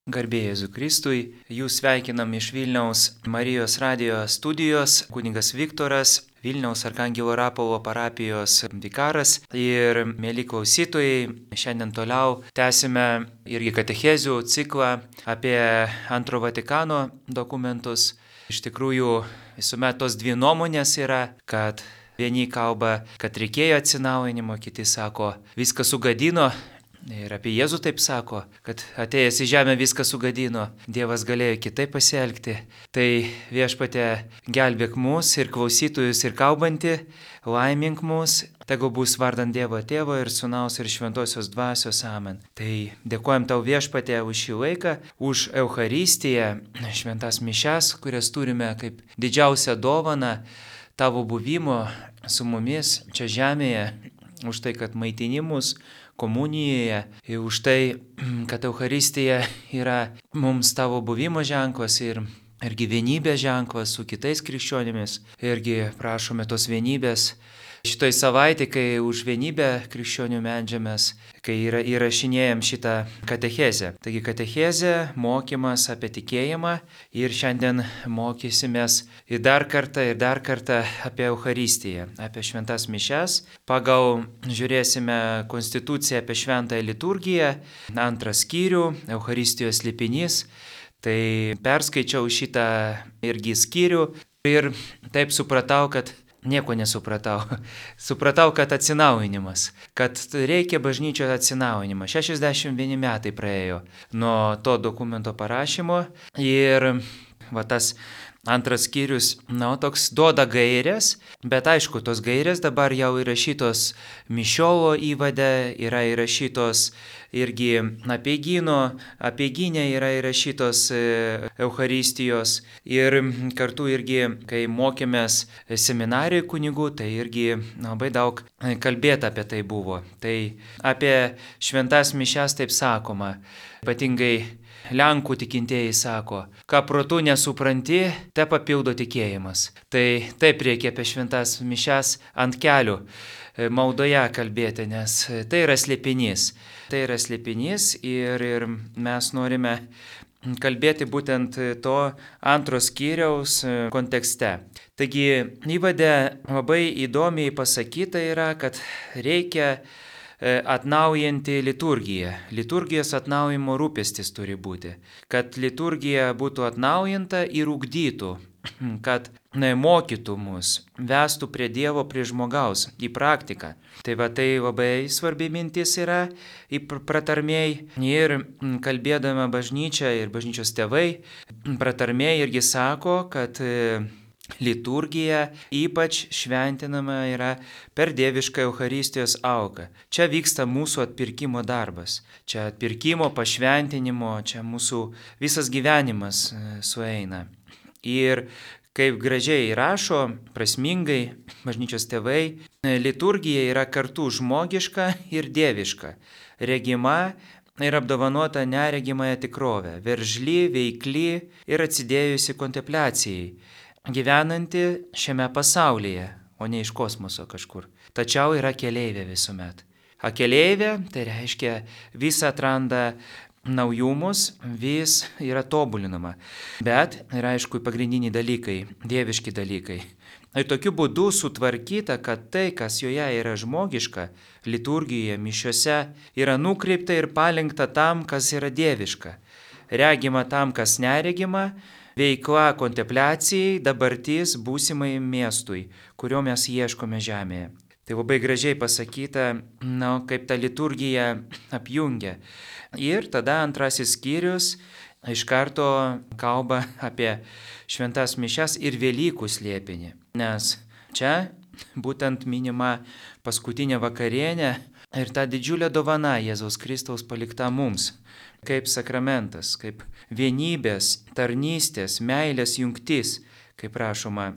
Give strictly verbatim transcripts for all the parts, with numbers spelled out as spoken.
Garbė Jėzui Kristui, jūs sveikinam iš Vilniaus Marijos radijo studijos, kunigas Viktoras, Vilniaus Arkangelo Rapolo parapijos vikaras ir mėly klausytojai, šiandien toliau tęsime irgi katechezių ciklą apie Antro Vatikano dokumentus. Iš tikrųjų, visuomet tos dvi nuomonės yra, kad vieni kalba, kad reikėjo atsinaujinimo, kiti sako, viską sugadino. Ir apie Jėzų taip sako, kad atėjęs į žemę viską sugadino, Dievas galėjo kitaip pasielgti. Tai Viešpatie gelbėk mus ir klausytojus ir kalbantį, laimink mus, tegu bus vardant Dievo Tėvo ir Sūnaus ir Šventosios Dvasios amen. Tai dėkojam tau Viešpatie už šį laiką, už Eucharistiją, šventas mišias, kurias turime kaip didžiausią dovaną tavo buvimo su mumis čia žemėje, už tai, kad maitini mus komunijoje, ir už tai, kad Eucharistija yra mums tavo buvimo ženklas ir, irgi vienybės ženklas su kitais krikščionimis. Irgi prašome tos vienybės šitoj savaitė, kai už vienybę krikščionių meldžiamės, kai yra, įrašinėjam šitą katechezę. Taigi katechezė, mokymas apie tikėjimą ir šiandien mokysimės ir dar kartą ir dar kartą apie Eucharistiją, apie šventas mišias. Pagal žiūrėsime konstituciją apie šventąją liturgiją, antrą skyrių, Eucharistijos slėpinys. Tai perskaičiau šitą irgi skyrių ir taip supratau, kad nieko nesupratau. Supratau, kad atsinaujinimas, kad reikia bažnyčios atsinaujinimą. šešiasdešimt vieni metai praėjo nuo to dokumento parašymo ir va tas antras skyrius, na, toks duoda gairės, bet aišku, tos gairės dabar jau įrašytos mišiolo įvade, yra įrašytos irgi apeigyno, apeiginė yra įrašytos Eucharistijos ir kartu irgi, kai mokėmės seminarijai kunigų, tai irgi labai daug kalbėta apie tai buvo. Tai apie šventas mišias taip sakoma, ypatingai Lenkų tikintieji sako, ką protu nesupranti, te papildo tikėjimas. Tai taip reikia apie šventas mišias ant kelių maldoje kalbėti, nes tai yra slėpinys. Tai yra slėpinys ir, ir mes norime kalbėti būtent to antro skyriaus kontekste. Taigi įvade labai įdomiai pasakyta yra, kad reikia atnaujinti liturgiją. Liturgijos atnaujimo rūpestis turi būti. Kad liturgija būtų atnaujinta ir ugdytų, kad mokytų mus, vestų prie Dievo, prie žmogaus, į praktiką. Tai va tai labai svarbi mintis yra į pratarmėj ir kalbėdama bažnyčia ir bažnyčios tėvai, pratarmėj irgi sako, kad liturgija ypač šventinama yra per dievišką Eucharistijos auką. Čia vyksta mūsų atpirkimo darbas. Čia atpirkimo, pašventinimo, čia mūsų visas gyvenimas sueina. Ir kaip gražiai rašo, prasmingai bažnyčios tėvai, liturgija yra kartu žmogiška ir dieviška, regima ir apdovanota neregimąją tikrovę, veržli, veikli ir atsidėjusi kontempliacijai, gyvenanti šiame pasaulyje, o ne iš kosmoso kažkur. Tačiau yra keleivė visuomet. A keleivė, tai reiškia, vis atranda naujumus, vis yra tobulinama. Bet yra aišku pagrindiniai dalykai, dieviški dalykai. Ir tokiu būdu sutvarkyta, kad tai, kas joje yra žmogiška, liturgijoje, mišiose, yra nukreipta ir palinkta tam, kas yra dieviška. Regima tam, kas neregima, veikla kontempliacijai, dabartis būsimai miestui, kurio mes ieškome žemėje. Tai labai gražiai pasakyta, na, kaip ta liturgija apjungia. Ir tada antrasis skyrius iš karto kalba apie šventas mišias ir Velykų slėpinį. Nes čia būtent minima paskutinė vakarienė ir ta didžiulė dovana Jėzaus Kristaus palikta mums. Kaip sakramentas, kaip vienybės, tarnystės, meilės jungtis, kaip rašoma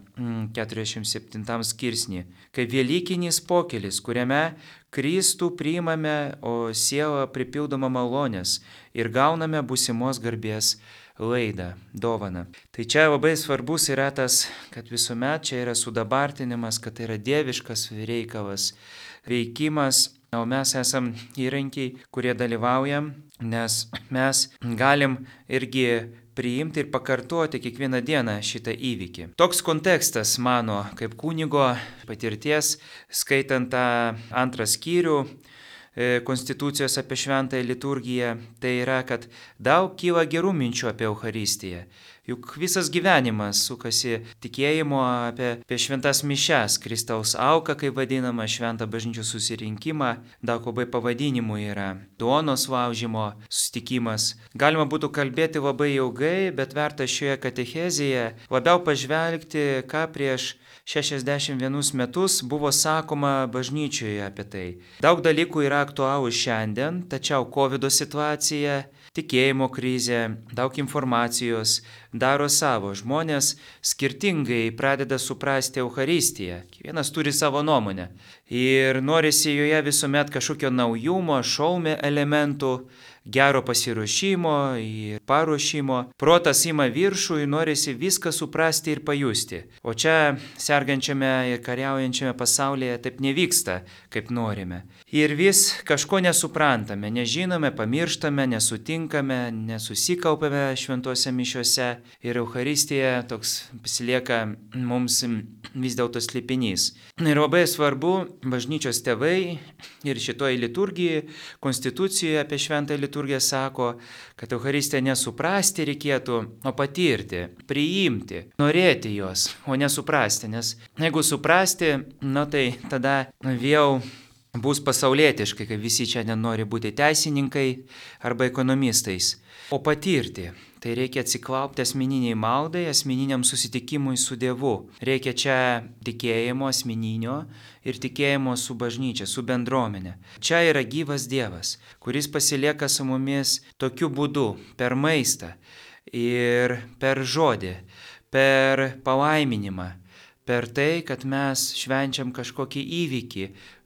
keturiasdešimt septintam skirsnį, kaip velykinis pokelis, kuriame Kristų priimame, o siela pripildoma malonės ir gauname būsimos garbės laidą, dovaną. Tai čia labai svarbus yra tas, kad visuomet čia yra sudabartinimas, kad tai yra dieviškas reikalas, veikimas o mes esam įrankiai, kurie dalyvaujam, nes mes galim irgi priimti ir pakartoti kiekvieną dieną šitą įvykį. Toks kontekstas mano kaip kunigo patirties, skaitant tą antrą skyrių Konstitucijos apie šventąją liturgiją, tai yra, kad daug kyla gerų minčių apie Eucharistiją. Juk visas gyvenimas sukasi tikėjimo apie, apie šventas mišias, Kristaus auką, kaip vadinama, šventą bažnyčios susirinkimą, daug labai pavadinimų yra, duonos laužimo susitikimas. Galima būtų kalbėti labai ilgai, bet verta šioje katechezėje labiau pažvelgti, ką prieš šešiasdešimt vienus metus buvo sakoma bažnyčioje apie tai. Daug dalykų yra aktualūs šiandien, tačiau kovido situacija, tikėjimo krizė, daug informacijos daro savo. Žmonės skirtingai pradeda suprasti Eucharistiją. Kiekvienas turi savo nuomonę. Ir norisi joje visuomet kažkokio naujumo, šaumė elementų, gero pasiruošimo ir paruošimo. Protas ima viršų ir norisi viską suprasti ir pajusti. O čia sergančiame ir kariaujančiame pasaulyje taip nevyksta, kaip norime. Ir vis kažko nesuprantame, nežinome, pamirštame, nesutinkame, nesusikaupiame šventose mišiose. Ir Eucharistija toks pasilieka mums vis dėlto slėpinys. Ir labai svarbu, bažnyčios tėvai ir šitoje liturgijoje, konstitucijoje apie šventą liturgiją sako, kad Eucharistiją nesuprasti reikėtų, o patirti, priimti, norėti jos, o nesuprasti. Nes jeigu suprasti, nu tai tada vėl bus pasaulietiškai, kai visi čia nenori būti teisininkai arba ekonomistais. O patirti, tai reikia atsiklaupti asmeniniai maldai, asmeniniam susitikimui su Dievu. Reikia čia tikėjimo asmeninio ir tikėjimo su bažnyčia, su bendruomenė. Čia yra gyvas Dievas, kuris pasilieka su mumis tokiu būdu, per maistą ir per žodį, per palaiminimą. Per tai, kad mes švenčiam kažkokį įvykį,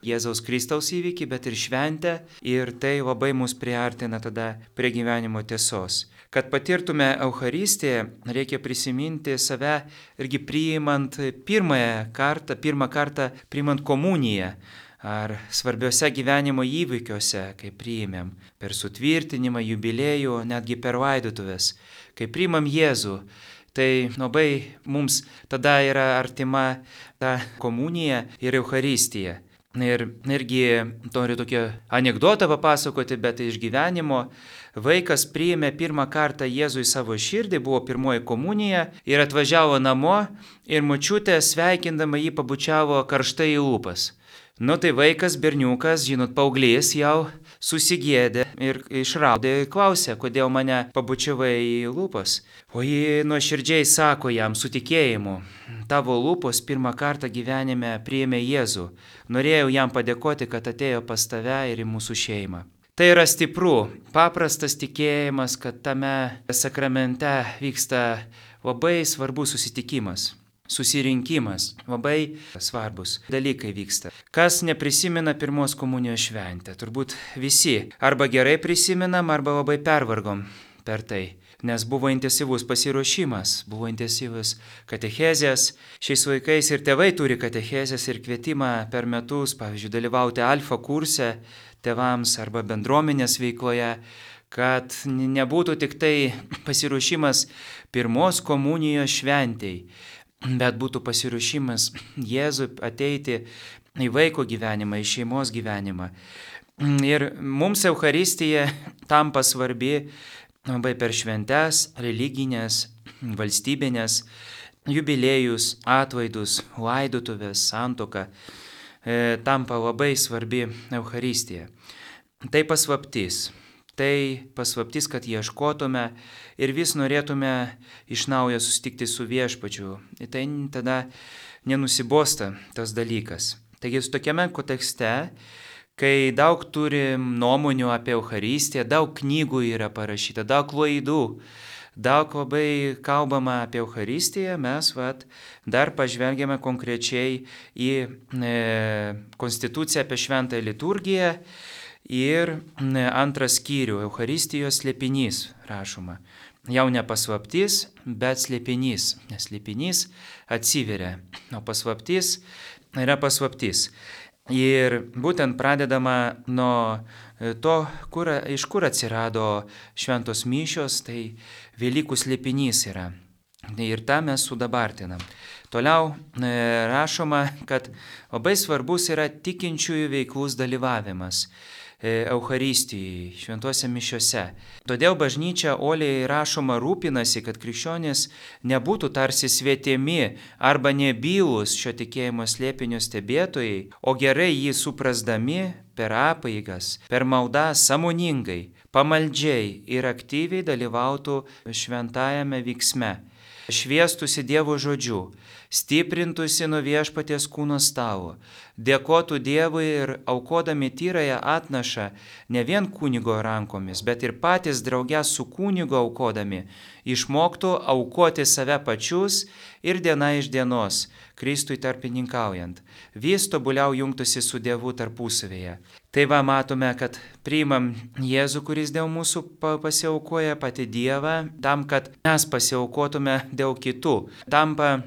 Jėzaus Kristaus įvykį, bet ir šventę, ir tai labai mus priartina tada prie gyvenimo tiesos. Kad patirtume Eucharistiją, reikia prisiminti save irgi priimant pirmąją kartą, pirmą kartą priimant komuniją, ar svarbiuose gyvenimo įvykiuose, kai priimėm, per sutvirtinimą, jubiliejų, netgi per laidotuvės, kai priimam Jėzų. Tai labai mums tada yra artima ta komunija ir Eucharistija. Ir irgi noriu tokią anekdotą papasakoti, bet iš gyvenimo. Vaikas priėmė pirmą kartą Jėzų į savo širdį, buvo pirmoji komunija ir atvažiavo namo ir močiutė sveikindama jį pabučiavo karštai į lūpas. Nu tai vaikas, berniukas, žinot, paauglys jau susigėdė ir išraudė, klausė, kodėl mane pabučiavai į lūpas. O ji nuoširdžiai sako jam su tikėjimu, tavo lūpos pirmą kartą gyvenime priėmė Jėzų. Norėjau jam padėkoti, kad atėjo pas tave ir į mūsų šeimą. Tai yra stipru, paprastas tikėjimas, kad tame sakramente vyksta labai svarbus susitikimas. Susirinkimas, labai svarbus dalykai vyksta. Kas neprisimena pirmos komunijos šventę? Turbūt visi. Arba gerai prisimenam, arba labai pervargom per tai. Nes buvo intensyvus pasiruošimas, buvo intensyvus katechezės. Šiais vaikais ir tėvai turi katechezės ir kvietimą per metus, pavyzdžiui, dalyvauti alfa kurse tėvams arba bendruomenės veikloje, kad nebūtų tik tai pasiruošimas pirmos komunijos šventei, bet būtų pasiruošimas Jėzui ateiti į vaiko gyvenimą, į šeimos gyvenimą. Ir mums Eucharistija tampa svarbi labai per šventes, religinės, valstybinės, jubiliejus, atlaidus, laidotuvės, santuoką, e, tampa labai svarbi Eucharistija. Tai paslaptis. Tai paslaptis, kad ieškotume ir vis norėtume iš naujo susitikti su Viešpačiu. Ir tai tada nenusibosta tas dalykas. Taigi su tokiame kontekste, kai daug turim nuomonių apie Eucharistiją, daug knygų yra parašyta, daug klaidų, daug labai kalbama apie Eucharistiją, mes vat, dar pažvelgiame konkrečiai į e, konstituciją apie šventąją liturgiją. Ir antras skyrių, Eucharistijos slėpinys rašoma. Jau ne paslaptis, bet slėpinys, nes slėpinys atsiveria, o paslaptis yra paslaptis. Ir būtent pradedama nuo to, kur, iš kur atsirado šventos mišios, tai Velykų slėpinys yra. Ir tą mes sudabartinam. Toliau e, rašoma, kad labai svarbus yra tikinčiųjų veiklus dalyvavimas Eucharistijai, šventuose mišiuose. Todėl bažnyčia uoliai rašoma rūpinasi, kad krikščionys nebūtų tarsi svetimi arba nebylūs šio tikėjimo slėpinio stebėtojai, o gerai jį suprasdami per apeigas, per maldą sąmoningai, pamaldžiai ir aktyviai dalyvautų šventajame vyksme, šviestųsi Dievo žodžiu, stiprintųsi nuo viešpaties kūno stalo, dėkotų Dievui ir aukodami tyrąją atnašą ne vien kunigo rankomis, bet ir patys drauge su kunigo aukodami, išmoktų aukoti save pačius ir diena iš dienos, Kristui tarpininkaujant, vis tobuliau jungtųsi su Dievu tarpusavėje. Tai va matome, kad priimam Jėzų, kuris dėl mūsų pasiaukoja patį Dievą, tam, kad mes pasiaukotume dėl kitų. Tampa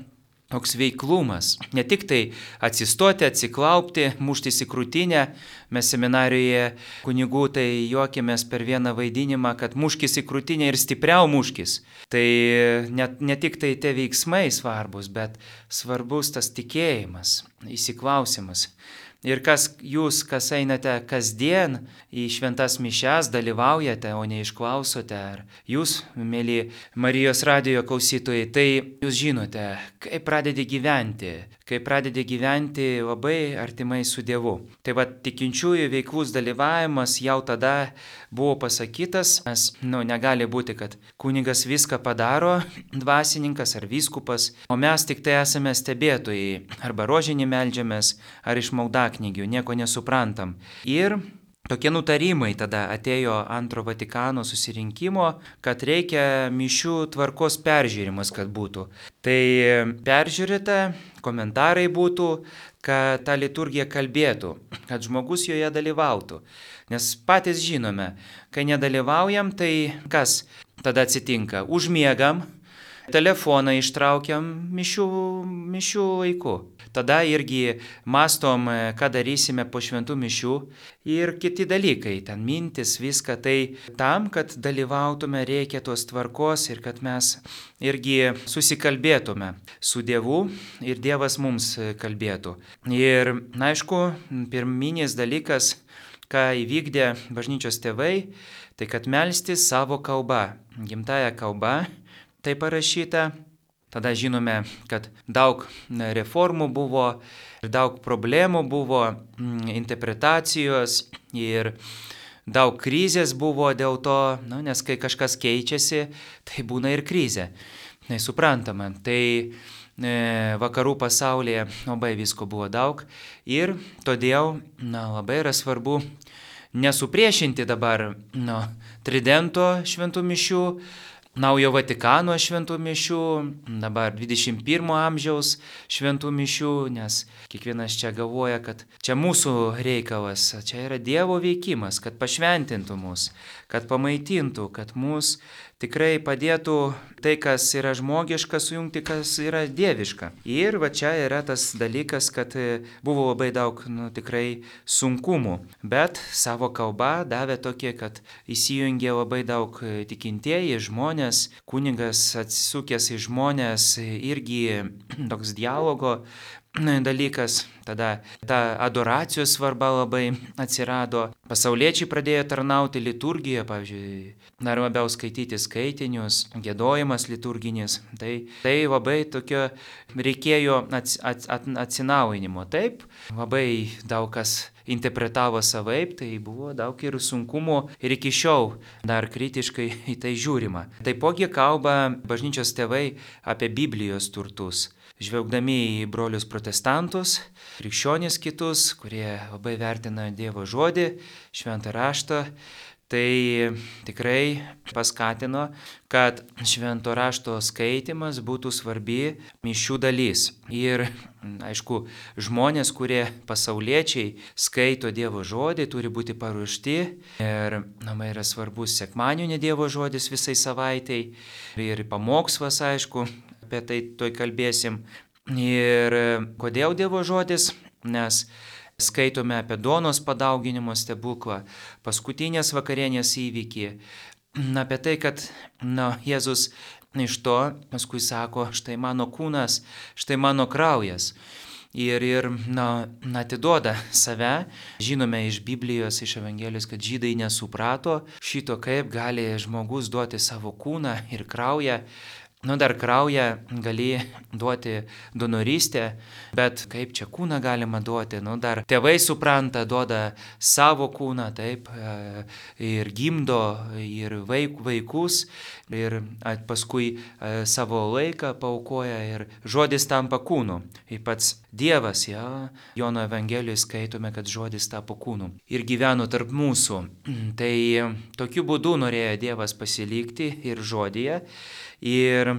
toks veiklumas, ne tik tai atsistoti, atsiklaupti, muštis į krūtinę. Mes seminarijoje kunigų tai juokėmės per vieną vaidinimą, kad muškis į krūtinę ir stipriau muškis. Tai ne, ne tik tai tie veiksmai svarbus, bet svarbus tas tikėjimas, įsiklausimas. Ir kas jūs, kas einate kasdien į šventas mišias, dalyvaujate, o ne išklausote, ar jūs, mėly Marijos radijo klausytojai, tai jūs žinote, kaip pradedi gyventi, kaip pradedi gyventi labai artimai su Dievu. Tai va, tikinčiųjų veiklus dalyvavimas jau tada buvo pasakytas, nes nu, negali būti, kad kunigas viską padaro, dvasininkas ar vyskupas, o mes tik tai esame stebėtojai, arba rožinį meldžiamės, ar iš maldaknygių, nieko nesuprantam. Ir tokie nutarimai tada atėjo antro Vatikano susirinkimo, kad reikia mišių tvarkos peržiūrimas, kad būtų. Tai peržiūrėta, komentarai būtų, kad ta liturgija kalbėtų, kad žmogus joje dalyvautų. Nes patys žinome, kai nedalyvaujam, tai kas tada atsitinka? Užmiegam, telefoną ištraukiam mišių, mišių laiku. Tada irgi mastom, ką darysime po šventų mišių ir kiti dalykai, ten mintis, viską. Tai tam, kad dalyvautume, reikia tos tvarkos ir kad mes irgi susikalbėtume su Dievu ir Dievas mums kalbėtų. Ir, na, aišku, pirminis dalykas, ką įvykdė bažnyčios tėvai, tai kad melstis savo kalba, gimtąją kalbą, tai parašyta. Tada žinome, kad daug reformų buvo ir daug problemų buvo, interpretacijos ir daug krizės buvo dėl to, nu, nes kai kažkas keičiasi, tai būna ir krizė. Tai suprantama, tai e, vakarų pasaulyje labai visko buvo daug ir todėl na, labai yra svarbu nesupriešinti dabar nu, Tridento šventų mišių, Naujo Vatikano šventų mišių, dabar dvidešimt pirmo amžiaus šventų mišių, nes kiekvienas čia galvoja, kad čia mūsų reikalas, čia yra Dievo veikimas, kad pašventintų mus, kad pamaitintų, kad mus tikrai padėtų tai, kas yra žmogiška, sujungti, kas yra dieviška. Ir va čia yra tas dalykas, kad buvo labai daug nu, tikrai sunkumų, bet savo kalbą davė tokie, kad įsijungė labai daug tikintieji žmonės, kunigas atsisukęs į žmonės, irgi toks dialogo dalykas, tada ta adoracijos svarba labai atsirado. Pasauliečiai pradėjo tarnauti liturgiją, pavyzdžiui, dar labiau skaityti skaitinius, giedojimas liturginis. Tai, tai labai tokio reikėjo ats, ats, atsinaujinimo. Taip, labai daug kas interpretavo savaip, tai buvo daug ir sunkumų ir iki šiol dar kritiškai į tai žiūrima. Taipogi kalba bažnyčios tėvai apie Biblijos turtus. Žvelgdami į brolius protestantus, krikščionis kitus, kurie labai vertina Dievo žodį, šventą raštą, tai tikrai paskatino, kad švento rašto skaitimas būtų svarbi mišių dalis. Ir, aišku, žmonės, kurie pasauliečiai skaito Dievo žodį, turi būti paruošti. Ir, na, yra svarbus sekmadienio Dievo žodis visai savaitai. Ir pamokslas, aišku, apie tai toj kalbėsim. Ir kodėl Dievo žodis? Nes skaitome apie duonos padauginimo stebuklą, paskutinės vakarienės įvykį, apie tai, kad na, Jėzus iš to paskui sako, štai mano kūnas, štai mano kraujas. Ir, ir na, atiduoda save. Žinome iš Biblijos, iš Evangelijos, kad žydai nesuprato šito, kaip gali žmogus duoti savo kūną ir kraują. Nu, dar kraują gali duoti donorystę, bet kaip čia kūną galima duoti? Nu, dar tėvai supranta, duoda savo kūną, taip, ir gimdo, ir vaik, vaikus, ir paskui savo laiką paaukoja, ir žodis tampa kūnu. Ir pats Dievas, ja, Jono Evangelijoje skaitome, kad žodis tapo kūnu ir gyveno tarp mūsų. Tai tokiu būdu norėjo Dievas pasilikti ir žodyje. Ir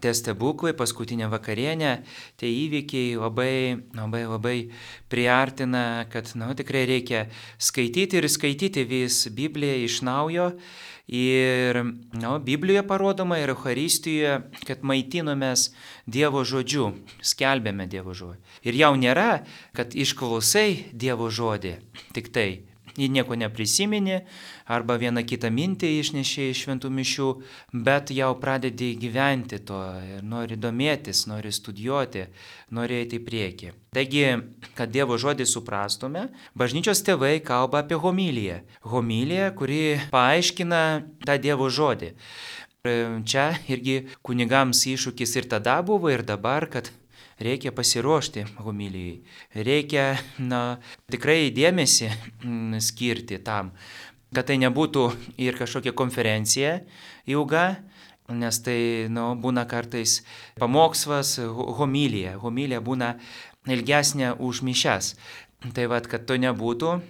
tie stebuklai, paskutinė vakarienė, tie įvykiai labai, labai, labai priartina, kad nu, tikrai reikia skaityti ir skaityti vis Bibliją iš naujo. Ir nu, Biblijoje parodoma ir Eucharistijoje, kad maitinomės Dievo žodžiu, skelbėme Dievo žodį. Ir jau nėra, kad išklausai Dievo žodį, tik tai. Jį nieko neprisiminė, arba vieną kitą mintį išnešė iš šventų mišių, bet jau pradedi gyventi to ir nori domėtis, nori studijuoti, nori eiti į priekį. Taigi, kad Dievo žodį suprastume, bažnyčios tėvai kalba apie homiliją. Homilija, kuri paaiškina tą Dievo žodį. Čia irgi kunigams iššūkis ir tada buvo, ir dabar, kad reikia pasiruošti homilijai. Reikia na, tikrai dėmesį skirti tam, kad tai nebūtų ir kažkokia konferencija ilga, nes tai nu, būna kartais pamokslas, homilija. Homilija būna ilgesnė už mišias. Tai vad, kad to nebūtų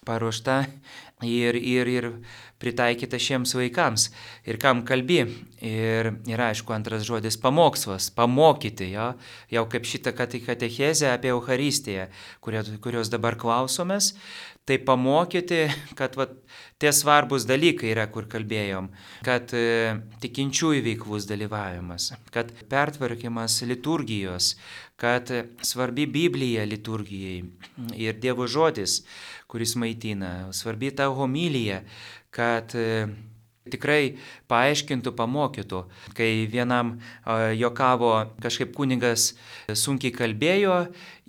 paruošta ir, ir, ir pritaikyta šiems vaikams. Ir kam kalbi. Ir, ir aišku, antras žodis pamokslas, pamokyti, jo, jau kaip šitą katechezę apie Eucharistiją, kurios dabar klausomės, tai pamokyti, kad va, tie svarbus dalykai yra, kur kalbėjom, kad e, tikinčiųjų veiklus dalyvavimas, kad pertvarkymas liturgijos, kad svarbi Biblija liturgijai ir Dievo žodis, kuris maitina, svarbi ta homilija, kad e, tikrai paaiškintų, pamokytų. Kai vienam uh, jokavo kažkaip kunigas sunkiai kalbėjo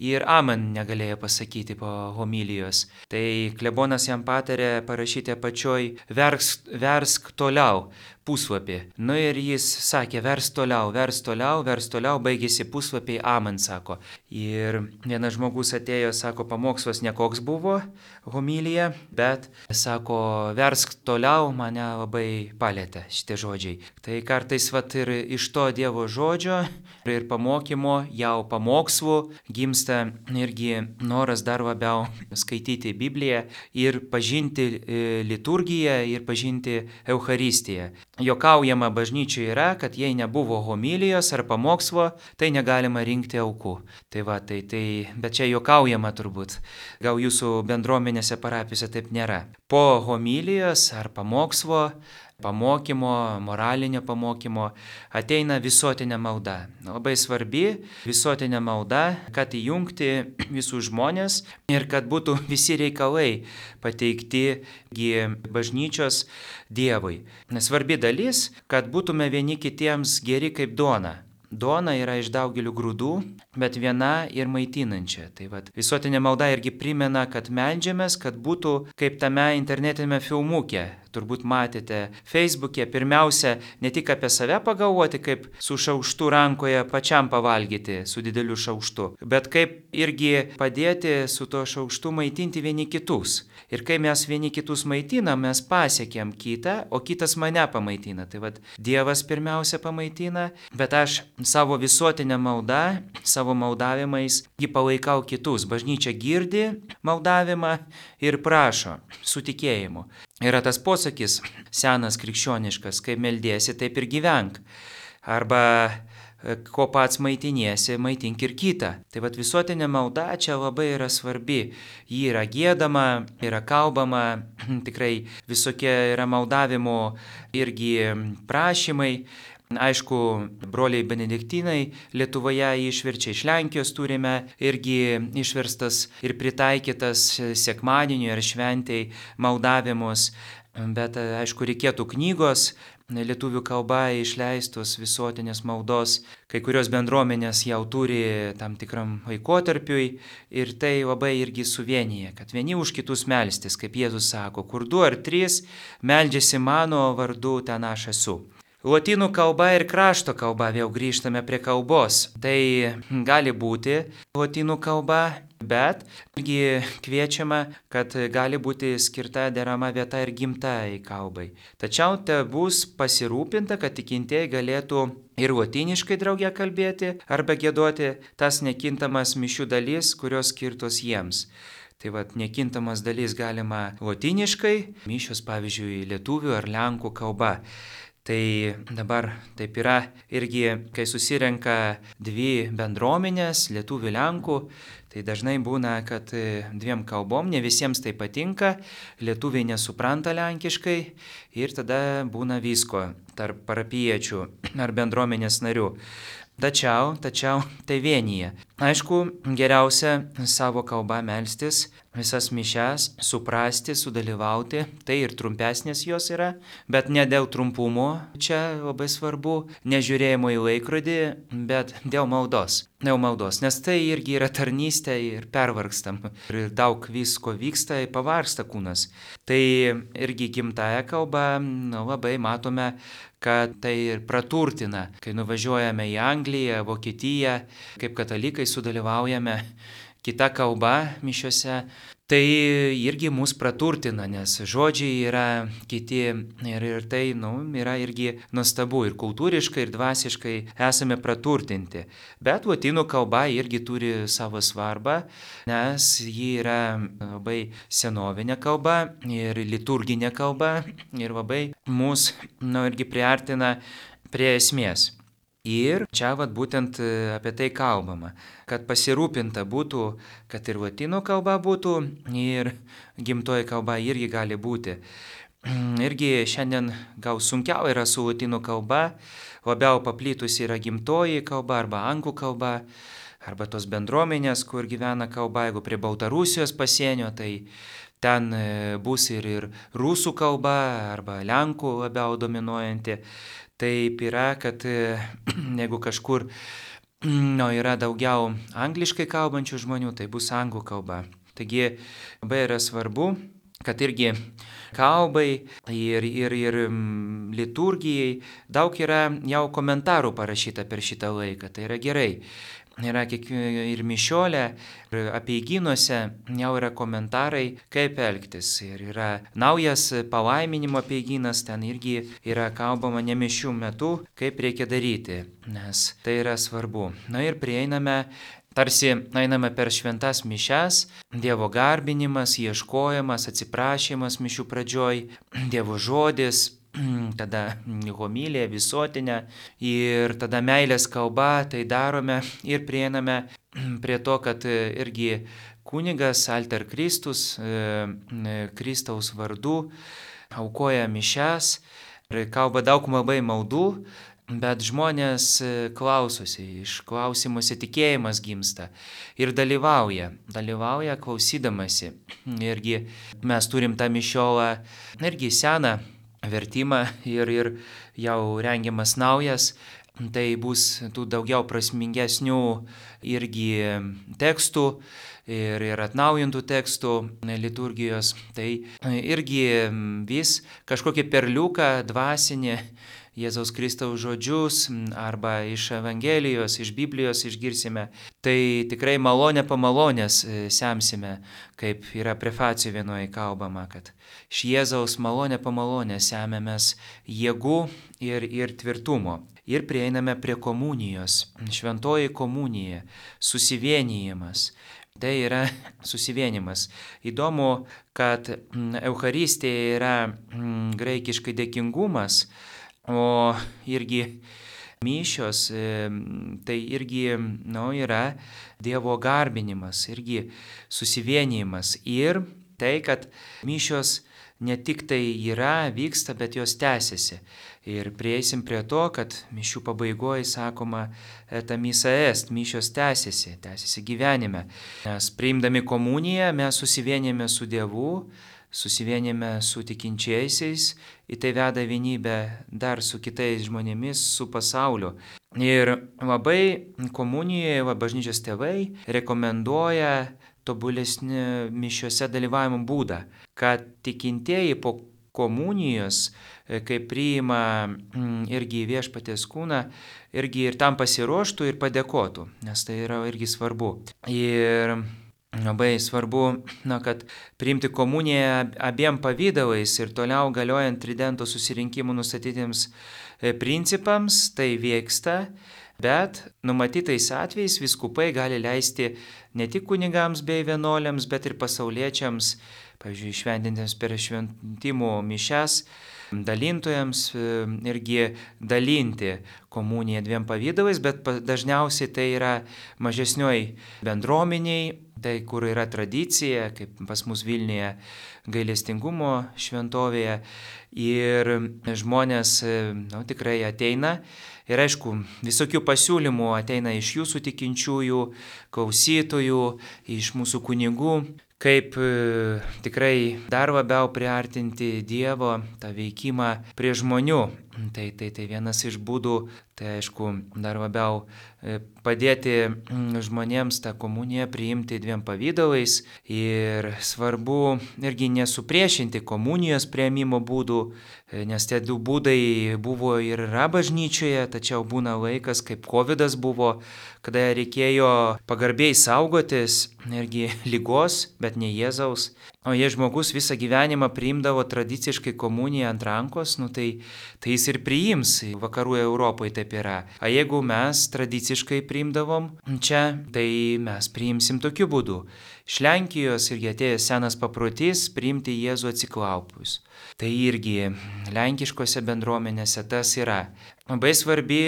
ir amen negalėjo pasakyti po homilijos. Tai klebonas jam patarė parašyti apačioj versk, versk toliau puslapį. Nu ir jis sakė versk toliau, versk toliau, versk toliau, baigėsi puslapiai, amen sako. Ir vienas žmogus atėjo, sako, pamokslas nekoks buvo homilija, bet sako versk toliau, mane labai palėtė šitie žodžiai. Tai kartais vat ir iš to Dievo žodžio ir pamokymo, jau pamokslų gimsta irgi noras dar labiau skaityti Bibliją ir pažinti liturgiją ir pažinti Eucharistiją. Jokaujama bažnyčioje yra, kad jei nebuvo homilijos ar pamokslo, tai negalima rinkti aukų. Tai va, tai, tai, bet čia jokaujama turbūt. Gal jūsų bendruomenėse parapijose taip nėra. Po homilijos ar pamokslo, pamokymo, moralinio pamokymo ateina visuotinė malda. Labai svarbi visuotinė malda, kad įjungti visus žmonės ir kad būtų visi reikalai pateikti bažnyčios Dievui. Svarbi dalis, kad būtume vieni kitiems geri kaip duona. Duona yra iš daugelių grūdų, bet viena ir maitinančia. Tai vat, visuotinė malda irgi primena, kad meldžiamės, kad būtų kaip tame internetinėme filmuke. Turbūt matėte Facebook'e, pirmiausia, ne tik apie save pagalvoti, kaip su šaukštu rankoje pačiam pavalgyti, su dideliu šaukštu, bet kaip irgi padėti su to šaukštu maitinti vieni kitus. Ir kai mes vieni kitus maitinam, mes pasiekėm kitą, o kitas mane pamaitina. Tai vat, Dievas pirmiausia pamaitina, bet aš savo visuotinę maldą, savo maldavimais jį palaikau kitus. Bažnyčia girdi maldavimą ir prašo su tikėjimu. Yra tas posakis senas krikščioniškas, kai meldiesi, taip ir gyvenk. Arba ko pats maitiniesi, maitink ir kitą. Tai vat visuotinė malda čia labai yra svarbi. Ji yra giedama, yra kalbama, tikrai visokie yra maldavimo irgi prašymai. Aišku, broliai benediktinai Lietuvoje išverčia, iš Lenkijos turime irgi išverstas ir pritaikytas sekmadieniui ar šventei maldavimus, bet aišku, reikėtų knygos, lietuvių kalba išleistos visuotinės maldos, kai kurios bendruomenės jau turi tam tikram laikotarpiui ir tai labai irgi suvienyje, kad vieni už kitus melstis, kaip Jėzus sako, kur du ar trys meldžiasi mano vardu, ten aš esu. Lotynų kalba ir krašto kalba, vėl grįžtame prie kalbos. Tai gali būti lotynų kalba, bet irgi kviečiama, kad gali būti skirta derama vieta ir gimtai kalbai. Tačiau te bus pasirūpinta, kad tikintieji galėtų ir lotyniškai drauge kalbėti arba giedoti tas nekintamas mišių dalis, kurios skirtos jiems. Tai vat nekintamas dalis galima lotyniškai, mišios pavyzdžiui lietuvių ar lenkų kalba. Tai dabar taip yra irgi, kai susirenka dvi bendruomenės, lietuvių lenkų, tai dažnai būna, kad dviem kalbom, ne visiems tai patinka, lietuviai nesupranta lenkiškai ir tada būna visko tarp parapiečių ar bendruomenės narių. Tačiau, tačiau tai vienyje. Aišku, geriausia savo kalbą melstis, visas mišias, suprasti, sudalyvauti, tai ir trumpesnės jos yra, bet ne dėl trumpumo, čia labai svarbu, nežiūrėjimo į laikrodį, bet dėl maldos. Dėl maldos, nes tai irgi yra tarnystė ir pervargstam. Ir daug visko vyksta, pavargsta kūnas. Tai irgi gimtaja kalba, nu, labai matome, kad tai ir praturtina, kai nuvažiuojame į Angliją, Vokietiją, kaip katalikai sudalyvaujame kita kalba mišiose, tai irgi mus praturtina, nes žodžiai yra kiti ir, ir tai nu, yra irgi nuostabu ir kultūriškai, ir dvasiškai esame praturtinti. Bet lotynų kalba irgi turi savo svarbą, nes ji yra labai senovinė kalba ir liturginė kalba ir labai mus nu, irgi priartina prie esmės. Ir čia vat būtent apie tai kalbama, kad pasirūpinta būtų, kad ir lotynų kalba būtų, ir gimtoji kalba irgi gali būti. Irgi šiandien gal sunkiau yra su lotynų kalba, labiau paplitusi yra gimtoji kalba arba anglų kalba, arba tos bendruomenės, kur gyvena kalba, jeigu prie Baltarusijos pasienio, tai ten bus ir, ir rusų kalba arba lenkų labiau dominuojanti. Taip yra, kad jeigu kažkur nu, yra daugiau angliškai kalbančių žmonių, tai bus anglų kalba. Taigi labai yra svarbu, kad irgi kalbai ir, ir, ir liturgijai daug yra jau komentarų parašyta per šitą laiką, tai yra gerai. Yra ir mišiolė, ir apeigynuose jau yra komentarai, kaip elgtis. Ir yra naujas palaiminimo apeigynas, ten irgi yra kalbama ne mišių metu, kaip reikia daryti, nes tai yra svarbu. Na ir prieiname, tarsi einame per šventas mišias, Dievo garbinimas, ieškojimas, atsiprašymas mišių pradžioj, Dievo žodis, tada homilija visuotinė ir tada meilės kalba, tai darome ir prieiname prie to, kad irgi kunigas Alter Kristus, Kristaus vardu, aukoja mišias ir kalba daug labai maldų, bet žmonės klausosi, iš klausimuose tikėjimas gimsta ir dalyvauja, dalyvauja klausydamasi. Irgi mes turim tą mišiolą, irgi seną vertimą ir, ir jau rengiamas naujas, tai bus tų daugiau prasmingesnių irgi tekstų ir, ir atnaujintų tekstų liturgijos. Tai irgi vis kažkokį perliuką dvasinį Jėzaus Kristaus žodžius arba iš Evangelijos, iš Biblijos išgirsime. Tai tikrai malonė po malonės semsime, kaip yra prefacijų vienoje kalbama, kad iš Jėzaus malonė po malonės semėmės jėgų ir, ir tvirtumo. Ir prieiname prie komunijos, šventoji komunija, susivienijimas. Tai yra susivienimas. Įdomu, kad Eucharistija yra graikiškai dėkingumas, o irgi mišios, tai irgi nu, yra Dievo garbinimas, irgi susivienijimas. Ir tai, kad mišios ne tik tai yra, vyksta, bet jos tęsiasi. Ir prieisim prie to, kad mišių pabaigoje sakoma, ta misa est, mišios tęsiasi, tęsiasi gyvenime. Mes priimdami komuniją, mes susivienėme su Dievu, susivienėme su tikinčiaisiais, į tai veda vienybę dar su kitais žmonėmis, su pasauliu. Ir labai komunijoje va, bažnyčios tėvai rekomenduoja tobulesnį mišiuose dalyvavimo būdą, kad tikintieji po komunijos, kai priima irgi viešpaties kūną, irgi ir tam pasiruoštų ir padėkotų, nes tai yra irgi svarbu. Ir labai svarbu, na, kad priimti komuniją abiem pavydalais ir toliau galiojant tridento susirinkimų nustatytiems principams, tai vyksta, bet numatytais atvejais vyskupai gali leisti ne tik kunigams bei vienuoliams, bet ir pasauliečiams, pavyzdžiui, šventintiems per šventimų mišias, dalintojams irgi dalinti komuniją dviem pavydalais, bet dažniausiai tai yra mažesnioj bendruomeniai, tai kur yra tradicija, kaip pas mus Vilniuje gailestingumo šventovėje, ir žmonės nu, tikrai ateina. Ir aišku, visokių pasiūlymų ateina iš jūsų tikinčiųjų, klausytojų, iš mūsų kunigų, kaip e, tikrai dar labiau priartinti Dievo tą veikimą prie žmonių. Tai, tai, tai vienas iš būdų, tai aišku, dar labiau e, padėti žmonėms tą komuniją priimti dviem pavydalais ir svarbu irgi nesupriešinti komunijos priėmimo būdų, e, nes tie du būdai buvo ir yra bažnyčioje, tačiau būna laikas, kaip kovidas buvo, kada reikėjo pagarbiai saugotis irgi ligos, bet ne Jėzaus. O jei žmogus visą gyvenimą priimdavo tradiciškai komuniją ant rankos, nu tai, tai jis ir priims, vakarų Europoje taip yra. O jeigu mes tradiciškai priimdavom čia, tai mes priimsim tokiu būdu. Iš Lenkijos irgi atėjęs senas paprotys priimti Jėzų atsiklaupus. Tai irgi lenkiškose bendruomenėse tas yra. Labai svarbi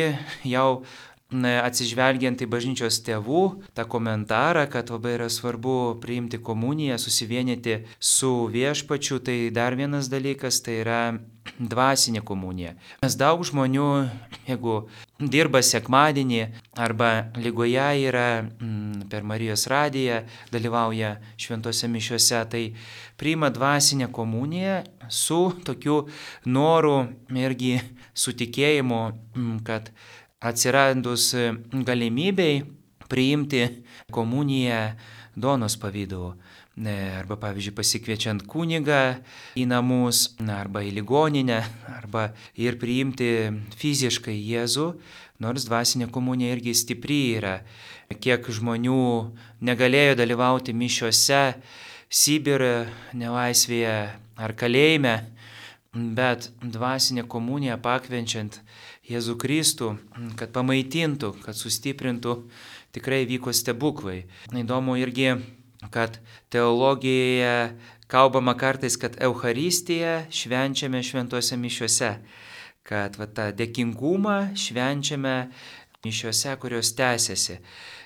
jau atsižvelgiant į bažnyčios tėvų tą komentarą, kad labai yra svarbu priimti komuniją, susivienyti su viešpačiu, tai dar vienas dalykas, tai yra dvasinė komunija. Nes daug žmonių, jeigu dirba sekmadienį arba lygoje yra m, per Marijos radiją, dalyvauja šventose mišiuose, tai priima dvasinę komuniją su tokiu noru irgi su tikėjimu, m, kad atsiradus galimybei priimti komuniją duonos pavidalu. Arba, pavyzdžiui, pasikviečiant kunigą į namus, arba į ligoninę, arba ir priimti fiziškai Jėzų, nors dvasinė komunija irgi stipri yra. Kiek žmonių negalėjo dalyvauti mišiuose, Sibire, nelaisvėje ar kalėjime, bet dvasinė komunija pakvenčiant Jėzų Kristų, kad pamaitintų, kad sustiprintų, tikrai vyko stebuklai. Įdomu irgi, kad teologijoje kalbama kartais, kad Eucharistiją švenčiame šventose mišiuose, kad va, tą dėkingumą švenčiame mišiuose, kurios tęsiasi.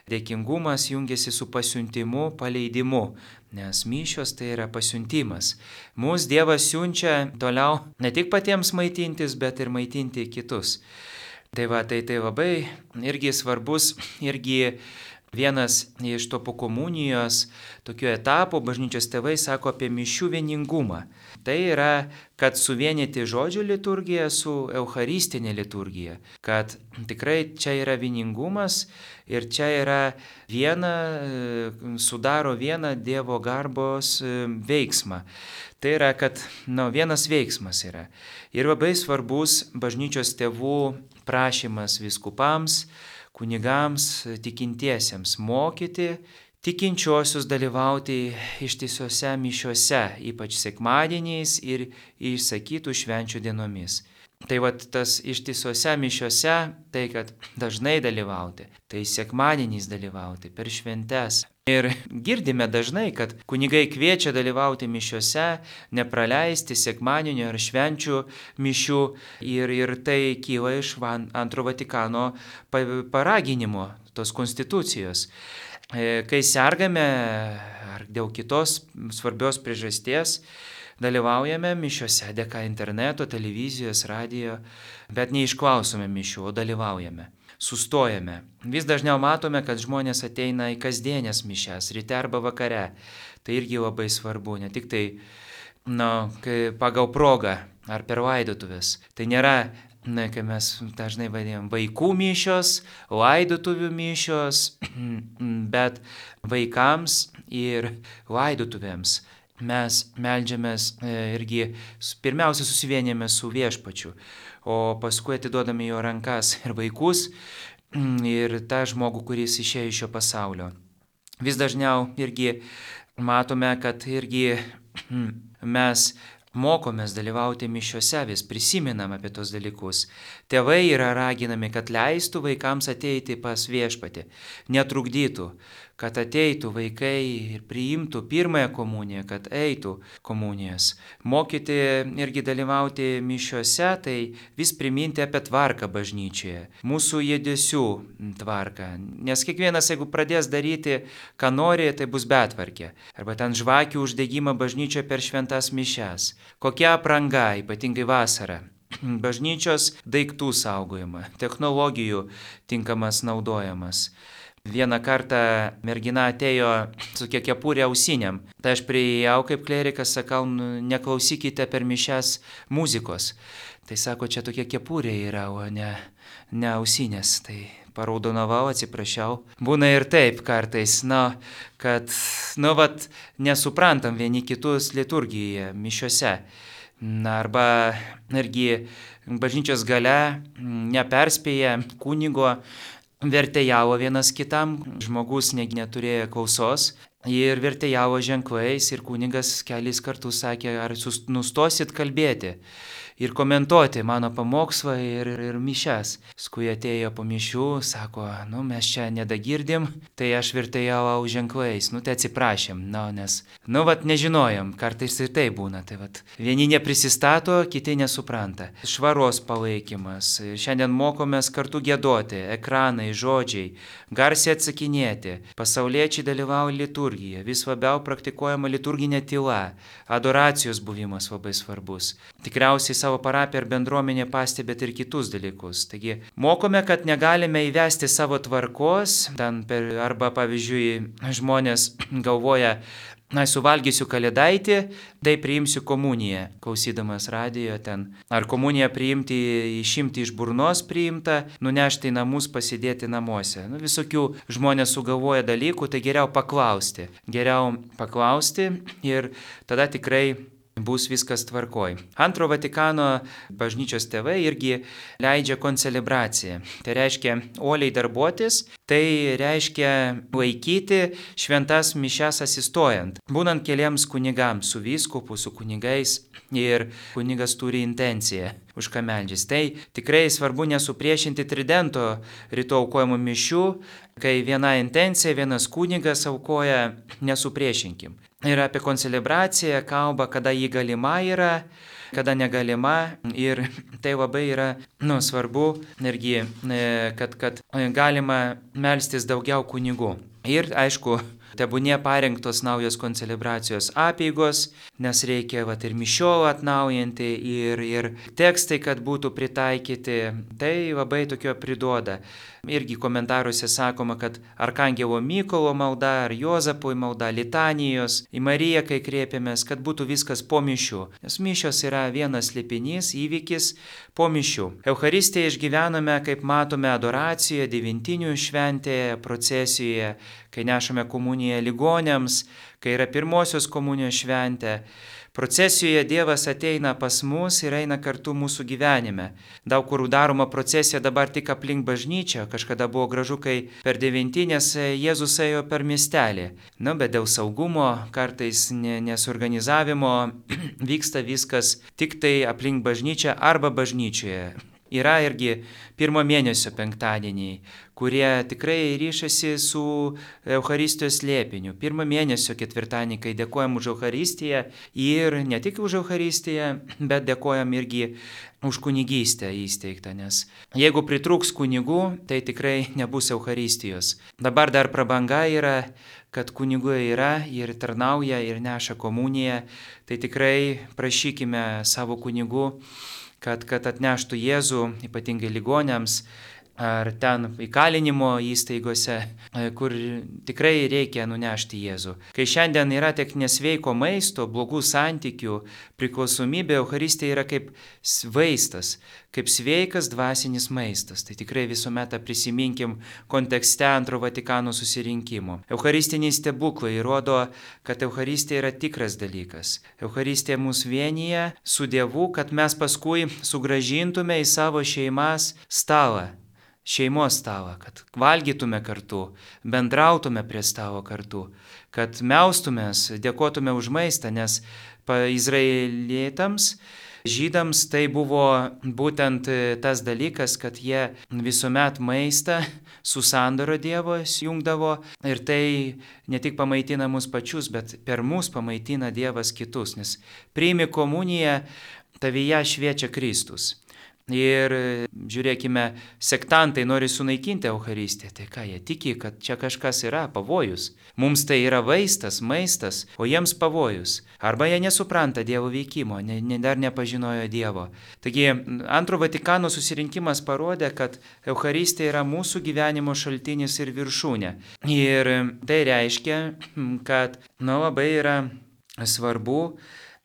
Dėkingumas jungiasi su pasiuntimu, paleidimu, nes mišios tai yra pasiuntimas. Mūsų Dievas siunčia toliau ne tik patiems maitintis, bet ir maitinti kitus. Tai va, tai, tai labai irgi svarbus, irgi vienas iš to po komunijos tokių etapų bažnyčios tėvai sako apie mišių vieningumą. Tai yra, kad suvienyti žodžio liturgiją su eucharistinė liturgija, kad tikrai čia yra vieningumas ir čia yra viena, sudaro vieną Dievo garbos veiksmą. Tai yra, kad nu, vienas veiksmas yra. Ir labai svarbus bažnyčios tėvų prašymas vyskupams, kunigams, tikintiesiems mokyti tikinčiuosius dalyvauti ištisuose mišiuose, ypač sekmadieniais ir išsakytų švenčių dienomis. Tai vat tas ištisuose mišiuose, tai kad dažnai dalyvauti, tai sekmadieniais dalyvauti, per šventes. Ir girdime dažnai, kad kunigai kviečia dalyvauti mišiuose, nepraleisti sekmadienio ar švenčių mišių ir, ir tai kyla iš antro Vatikano paraginimo, tos konstitucijos. Kai sergame ar dėl kitos svarbios priežasties, dalyvaujame mišiose dėka interneto, televizijos, radijo, bet neišklausome mišių, o dalyvaujame. Sustojame. Vis dažniau matome, kad žmonės ateina į kasdienės mišias, ryte arba vakare. Tai irgi labai svarbu, ne tik tai na, pagal progą ar per laidotuvės. Tai nėra, na, kai mes dažnai vadinam, vaikų mišios, laidotuvių mišios, bet vaikams ir laidotuvėms mes meldžiamės irgi, pirmiausia susivienėme su Viešpačiu, o paskui atiduodame jo rankas ir vaikus, ir tą žmogų, kuris išėjo iš šio pasaulio. Vis dažniau irgi matome, kad irgi mes mokomės dalyvauti mišiose, vis prisiminam apie tos dalykus. Tėvai yra raginami, kad leistų vaikams ateiti pas Viešpatį, netrukdytų, kad ateitų vaikai ir priimtų pirmąją komuniją, kad eitų komunijos. Mokyti irgi dalyvauti mišiose, tai vis priminti apie tvarką bažnyčioje, mūsų judesių tvarką. Nes kiekvienas, jeigu pradės daryti, ką nori, tai bus betvarkė. Arba ten žvakių uždegimą bažnyčioje per šventas mišias. Kokia apranga, ypatingai vasarą. Bažnyčios daiktų saugojimą, technologijų tinkamas naudojimas. Vieną kartą mergina atėjo su kepurė ausinėm. Tai aš priėjau kaip klerikas, sakau, neklausykite per mišias muzikos. Tai sako, čia tokia kepurė yra, o ne, ne ausinės. Tai paraudonavau, atsiprašiau. Būna ir taip kartais, na, kad, nu, vat, nesuprantam vieni kitus liturgijoje, mišiose. Na, arba irgi bažnyčios gale neperspėja kunigo, vertėjavo vienas kitam, žmogus negi neturėjo klausos ir vertėjavo ženklais ir kunigas kelis kartus sakė, ar nustosit kalbėti ir komentuoti mano pamokslą ir, ir mišias. Paskui atėjo po mišių, sako, nu mes čia nedagirdim, tai aš vertėjau ženklais, nu tai atsiprašėm, nu, nes, nu vat nežinojom, kartais ir tai būna, tai vat vieni neprisistato, kiti nesupranta. Švaros palaikymas, šiandien mokomės kartu giedoti, ekranai, žodžiai, garsiai atsakinėti, pasauliečiai dalyvauja liturgijoje, vis labiau praktikuojama liturginė tyla, adoracijos buvimas labai svarbus. Tikriausiai savo parapiją ar bendruomenė pastebėt ir kitus dalykus. Taigi, mokome, kad negalime įvesti savo tvarkos, ten per, arba, pavyzdžiui, žmonės galvoja, na, suvalgysiu kalėdaitį, tai priimsiu komuniją, klausydamas radijo ten. Ar komuniją priimti, išimti iš burnos priimta, nunešti į namus, pasidėti namuose. Nu, visokių žmonės sugalvoja dalykų, tai geriau paklausti. Geriau paklausti ir tada tikrai bus viskas tvarkoj. Antro Vatikano bažnyčios tėvai irgi leidžia koncelebraciją. Tai reiškia uoliai darbuotis, tai reiškia laikyti šventas mišias asistojant. Būnant keliems kunigams, su vyskupu, su kunigais ir kunigas turi intenciją už ką meldžiasi. Tai tikrai svarbu nesupriešinti tridento ryto aukojimų mišių, kai viena intencija, vienas kunigas aukoja, nesupriešinkim. Ir apie koncelebraciją kalba, kada ji galima yra, kada negalima. Ir tai labai yra, nu, svarbu, irgi, kad, kad galima melstis daugiau kunigų. Ir, aišku, tebūnie parengtos naujos koncelebracijos apeigos, nes reikia vat, ir mišiolą atnaujinti, ir, ir tekstai, kad būtų pritaikyti. Tai labai tokio priduoda. Irgi komentaruose sakoma, kad Arkangelo Mykolo malda, ar Juozapui malda, litanijos, į Mariją, kai kreipiamės, kad būtų viskas po mišių. Nes mišios yra vienas slėpinys, įvykis po mišių. Eucharistiją išgyvename, kaip matome, adoracijoje, devintinių šventėje, procesijoje, kai nešame komuniją ligonėms, kai yra pirmosios komunijos šventė. Procesijoje Dievas ateina pas mus ir eina kartu mūsų gyvenime. Daug kur daroma procesija dabar tik aplink bažnyčią, kažkada buvo gražu, kai per devintinės Jėzus ėjo per miestelį. Na, bet dėl saugumo, kartais nesuorganizavimo vyksta viskas tik tai aplink bažnyčią arba bažnyčioje. yra irgi pirmo mėnesio penktadieniai, kurie tikrai ryšasi su Eucharistijos slėpiniu. Pirmo mėnesio ketvirtadienį, kai dėkojam už Eucharistiją ir ne tik už Eucharistiją, bet dėkojam irgi už kunigystę įsteigtą, nes jeigu pritrūks kunigų, tai tikrai nebus Eucharistijos. Dabar dar prabanga yra, kad kunigų yra ir tarnauja ir neša komuniją, tai tikrai prašykime savo kunigų, kad, kad atneštų Jėzų, ypatingai ligoniams, ar ten įkalinimo įstaigose, kur tikrai reikia nunešti Jėzų. Kai šiandien yra tiek nesveiko maisto, blogų santykių, priklausomybė, Eucharistija yra kaip vaistas, kaip sveikas dvasinis maistas. Tai tikrai visuomet prisiminkim kontekste Antro Vatikano susirinkimo. Eucharistiniai stebuklai rodo, kad Eucharistija yra tikras dalykas. Eucharistija mus vienyje su Dievu, kad mes paskui sugrąžintume į savo šeimas stalą. Šeimos stalą, kad valgytume kartu, bendrautume prie stalo kartu, kad meustumės, dėkotume už maistą, nes izraelietams, žydams tai buvo būtent tas dalykas, kad jie visuomet maistą su sandoro Dievo jungdavo ir tai ne tik pamaitina mus pačius, bet per mus pamaitina Dievas kitus, nes priimi komuniją, tavyje šviečia Kristus. Ir žiūrėkime, sektantai nori sunaikinti Eucharistiją, tai ką jie tiki, kad čia kažkas yra, pavojus. Mums tai yra vaistas, maistas, o jiems pavojus. Arba jie nesupranta Dievo veikimo, ne, ne, dar nepažinojo Dievo. Taigi, Antro Vatikano susirinkimas parodė, kad Eucharistija yra mūsų gyvenimo šaltinis ir viršūnė. Ir tai reiškia, kad nu, labai yra svarbu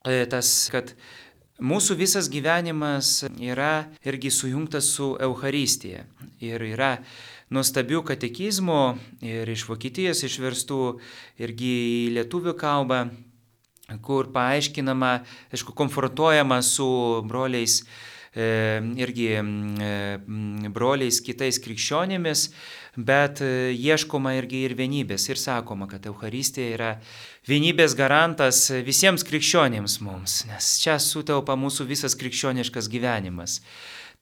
tas, kad mūsų visas gyvenimas yra irgi sujungtas su Eucharistija. Ir yra nuostabių katekizmų ir iš Vokietijos išverstų irgi į lietuvių kalbą, kur paaiškinama, aišku, konfrontuojama su broliais, e, irgi e, broliais kitais krikščionimis, bet ieškoma irgi ir vienybės. Ir sakoma, kad Eucharistija yra vienybės garantas visiems krikščionims mums, nes čia sutelpa mūsų visas krikščioniškas gyvenimas.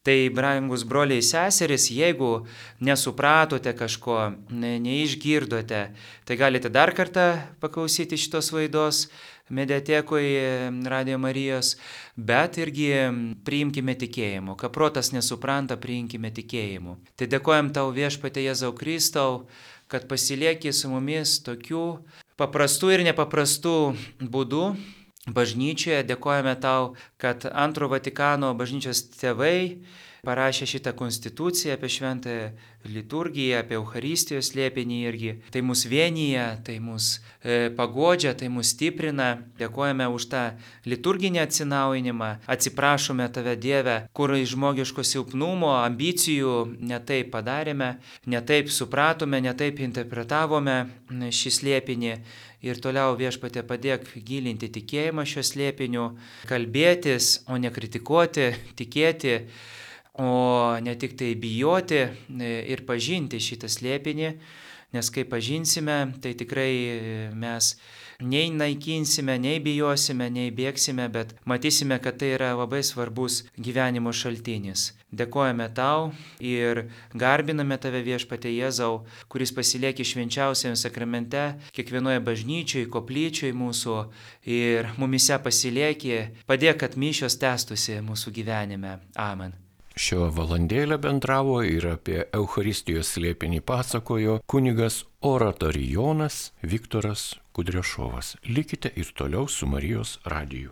Tai, brangus broliai seserys, jeigu nesupratote kažko, ne, neišgirdote, tai galite dar kartą paklausyti šitos laidos mediatekoje Radio Marijos, bet irgi priimkime tikėjimu. Ką protas nesupranta, priimkime tikėjimu. Tai dėkojam tau, Viešpatie Jėzau Kristau, kad pasilieki su mumis tokių paprastų ir nepaprastų būdų bažnyčioje. Dėkojame tau, kad Antro Vatikano bažnyčios tėvai parašė šitą konstituciją apie šventąją liturgiją, apie Eucharistijos slėpinį irgi. Tai mus vienyje, tai mus e, pagodžia, tai mus stiprina. Dėkojame už tą liturginį atsinaujinimą. Atsiprašome tave, Dieve, kur iš žmogiško silpnumo, ambicijų netaip padarėme, netaip supratome, netaip interpretavome šį slėpinį. Ir toliau, Viešpatie, padėk gilinti tikėjimą šio slėpiniu, kalbėtis, o ne kritikuoti, tikėti, o ne tik tai bijoti ir pažinti šitą slėpinį, nes kai pažinsime, tai tikrai mes nei naikinsime, nei bijosime, nei bėgsime, bet matysime, kad tai yra labai svarbus gyvenimo šaltinis. Dėkojame tau ir garbiname tave, Viešpatie Jėzau, kuris pasilieki švenčiausiame sakramente, kiekvienoje bažnyčioje, koplyčioje mūsų ir mumise pasilieki, padėk, kad mišios tęstųsi mūsų gyvenime. Amen. Šio valandėlę bendravo ir apie Eucharistijos slėpinį pasakojo kunigas oratorijonas Viktoras Kudrešovas. Likite ir toliau su Marijos radiju.